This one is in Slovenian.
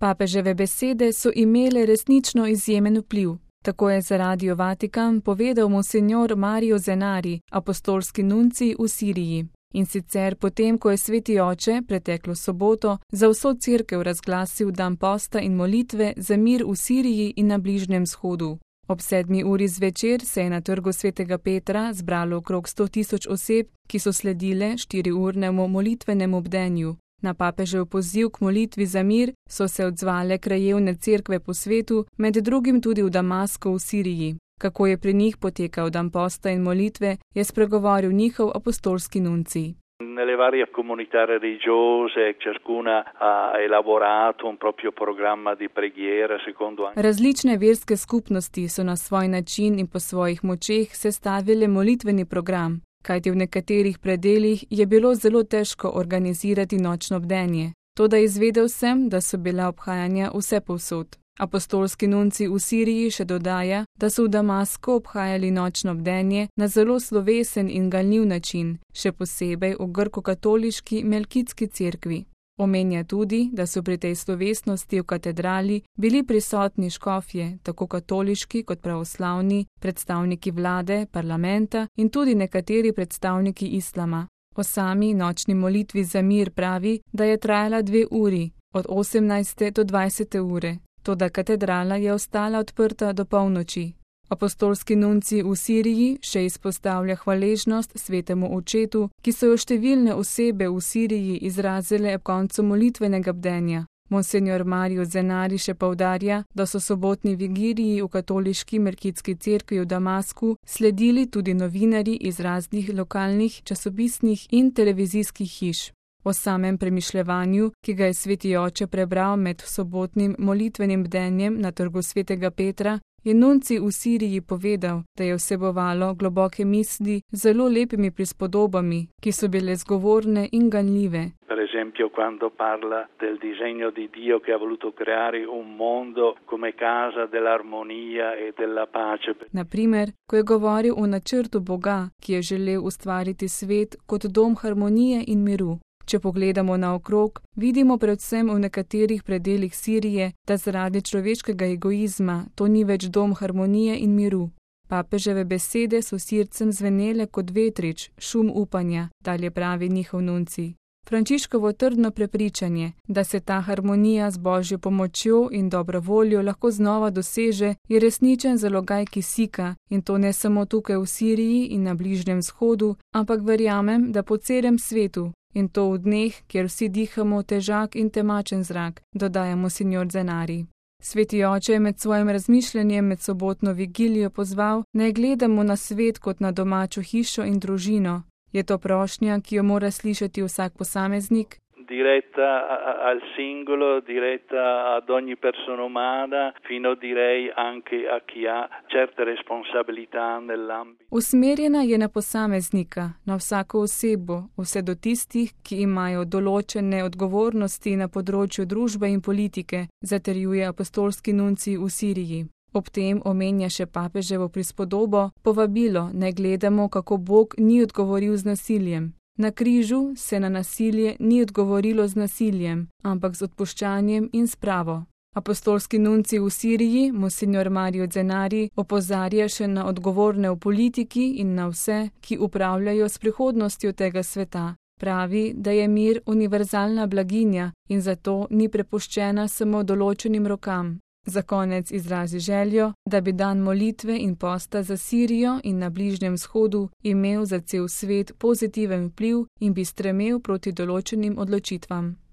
Papeževe besede so imele resnično izjemen vpliv. Tako je za Radio Vatikan povedal monsignor Mario Zenari, apostolski nuncij v Siriji. In sicer potem, ko je Sveti oče preteklo soboto za vso cerkev razglasil dan posta in molitve za mir v Siriji in na Bližnjem vzhodu. Ob 7. uri zvečer se je na trgu Svetega Petra zbralo okrog 100.000 oseb, ki so sledile 4-urnemu molitvenemu bdenju. Na papežev poziv k molitvi za mir so se odzvale krajevne cerkve po svetu, med drugim tudi v Damasku v Siriji. Kako je pri njih potekal dan posta in molitve, je spregovoril njihov apostolski nuncij. Nelle varie comunità religiose, ciascuna ha elaborato un proprio programma di preghiera secondo anche. Različne verske skupnosti so na svoj način in po svojih močeh sestavile molitveni program, kajti v nekaterih predelih je bilo zelo težko organizirati nočno bdenje. Toda izvedel sem, da so bila obhajanja vsepovsod. Apostolski nuncij v Siriji še dodaja, da so v Damasku obhajali nočno bdenje na zelo slovesen in ganljiv način, še posebej v grko-katoliški Melkitski cerkvi. Omenja tudi, da so pri tej slovesnosti v katedrali bili prisotni škofje, tako katoliški kot pravoslavni, predstavniki vlade, parlamenta in tudi nekateri predstavniki islama. O sami nočni molitvi za mir pravi, da je trajala 2 uri, od 18. do 20. ure. Toda katedrala je ostala odprta do polnoči. Apostolski nuncij v Siriji še izpostavlja hvaležnost Svetemu očetu, ki so jo številne osebe v Siriji izrazile ob koncu molitvenega bdenja. Monsignor Mario Zenari še poudarja, da so sobotni vigiliji v katoliški Melkitski cerkvi v Damasku sledili tudi novinarji iz raznih lokalnih časopisnih in televizijskih hiš. O samem premišljevanju, ki ga je Sveti oče prebral med sobotnim molitvenim bdenjem na trgu Svetega Petra, je nuncij v Siriji povedal, da je vsebovalo globoke misli z zelo lepimi prispodobami, ki so bile zgovorne in ganljive. Per esempio, quando parla del disegno di Dio che ha voluto creare un mondo come casa dell'armonia e della pace. Naprimer, ko je govoril o načrtu Boga, ki je želel ustvariti svet kot dom harmonije in miru. Če pogledamo naokrog, vidimo predvsem v nekaterih predelih Sirije, da zaradi človeškega egoizma to ni več dom harmonije in miru. Papeževe besede so Sircem zvenele kot vetrič, šum upanja, dalje pravi njihov nuncij. Frančiškovo trdno prepričanje, da se ta harmonija z Božjo pomočjo in dobro voljo lahko znova doseže, je resničen zalogaj kisika, in to ne samo tukaj v Siriji in na Bližnjem vzhodu, ampak verjamem, da po celem svetu. In to v dneh, kjer vsi dihamo težak in temačen zrak, dodaja monsignor Zenari. Sveti oče je med svojim razmišljanjem med sobotno vigilijo pozval, naj gledamo na svet kot na domačo hišo in družino. Je to prošnja, ki jo mora slišati vsak posameznik? Diretta al singolo, diretta ad ogni persona umana, fino direi anche a chi ha certe responsabilità nell'ambito. Usmerjena je na posameznika, na vsako osebo, vse do tistih, ki imajo določene odgovornosti na področju družbe in politike, zatrjuje apostolski nuncij v Siriji. Ob tem omenja še papeževo prispodobo, povabilo, naj gledamo, kako Bog ni odgovoril z nasiljem. Na križu se na nasilje ni odgovorilo z nasiljem, ampak z odpuščanjem in spravo. Apostolski nuncij v Siriji, monsignor Mario Zenari, opozarja še na odgovorne v politiki in na vse, ki upravljajo s prihodnostjo tega sveta. Pravi, da je mir univerzalna blaginja in zato ni prepuščena samo določenim rokam. Za konec izrazi željo, da bi dan molitve in posta za Sirijo in na Bližnjem vzhodu imel za cel svet pozitiven vpliv in bi stremel proti določenim odločitvam.